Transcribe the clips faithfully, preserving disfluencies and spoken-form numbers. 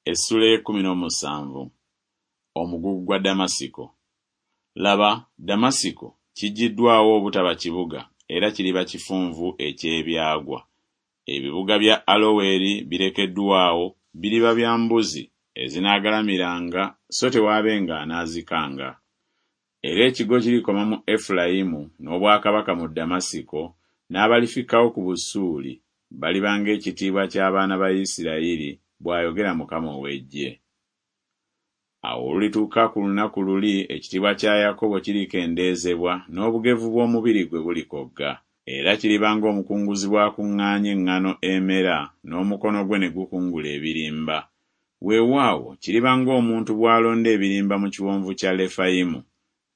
Essuula ey'ekkumi n'omusanvu. Omugugu gwa Ddamasiko. Laba, Ddamasiko kiggyiddwawo obutaba kibuga era kiriba kifunvu eky'ebyagwa. Ebibuga bya Aloweri birekeddwa awo, biriba bya mbuzi ezinaagalamiranga so tewaabenga anaazikanga. Era ekigo kirikoma mu Efulayimu n'obwakabaka mu Ddamasiko, n'abalifikkawo ku Busuuli baliba ng'ekitiibwa ky'abaana ba Isirayiri, bw'ayogera Mukama ow'eggye. Awo olulituuka ku lunaku luli ekitiibwa kya Yakobo kirikendeezebwa n'obugevu bw'omubiri gwe bulikogga. Era kiriba ng'omukunguzi bw'akuŋŋaanya eŋŋano emera n'omukono gwe ne gukungula ebirimba. Weewaawo kiriba ng'omuntu bw'alonda ebirimba mu kiwonvu kya Lefayimu.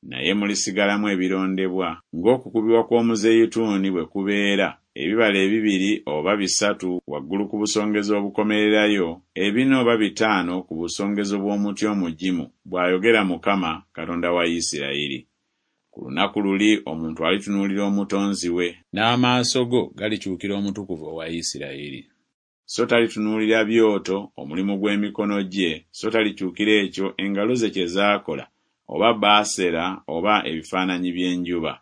Naye mulisigalamu ebirondebwa ng'okukubibwa kw'omuzeyituuni bwe kubeera, ebibala ebibiri oba bisatu waggulu ku busongezo obukomererayo, ebina oba bitaano ku busongezo bw'omuti omugimu, bw'ayogera Mukama, Katonda wa Isirayiri. Ku lunaku luli omuntu alitunuulira Omutonzi we, n'amaaso go galikyukira Omutukuvu owa Isirayiri. So talitunuulira byoto, omulimu gw'emikono gye, so talikyukira ekyo engalo ze kye zaakola, oba Baasera oba ebifaananyi by'enjuba.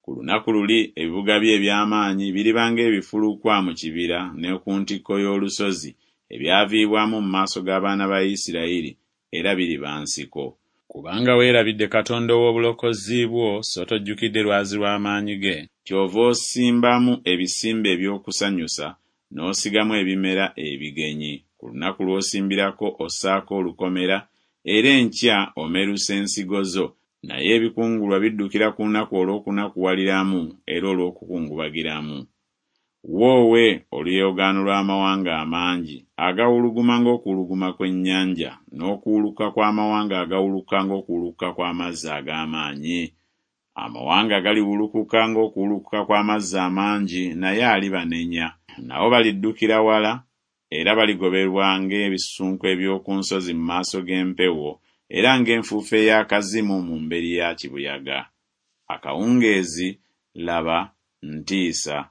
Ku lunaku luli ebibuga bye eby'amaanyi biriba ng'ebifulukwa mu kibira ne ku ntikko y'olusozi, ebyaviibwamu mu maaso g'abaana ba Isirayiri, era biriba nsiko. Kubanga weerabidde Katonda ow'obulokozi bwo, so tojjukidde lwazi lw'amaanyi ge, kyova osimbamu ebisimbe eby'okusanyusa, n'osigamu ebimera ebigenyi. Ku lunaku lw'osimbirako ossaako olukomera, era enkya omerusa ensigo zo, naye ebikungulwa biddukira ku lunaku olw'okunakuwaliramu era olw'okukungubagiramu. Woowe oluyoogaano lw'amawanga amangi agawuluguma ng'okuwuluguma kw'ennyanja, n'okuwuluka kw'amawanga agawuluka ng'okuwuluka kw'amazzi ag'amaanyi! Amawanga galiwulukuka ng'okuwulukuka kw'amazzi amangi, naye alibanenya. Nabo baliddukira wala, era baligoberwa ng'ebisunku eby'oku nsozi mu maaso g'empewo, era ng'enfuufu ey'akazimu mu mberi ya kibuyaga. Akawungeezi, laba, ntiisa!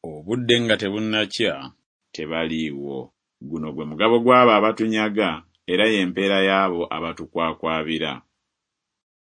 Obudde nga tebunnakya, tebaliiwo. Guno gwe mugabo gw'abo abatunyaga, era ye mpeera y'abo abatukwakwabira.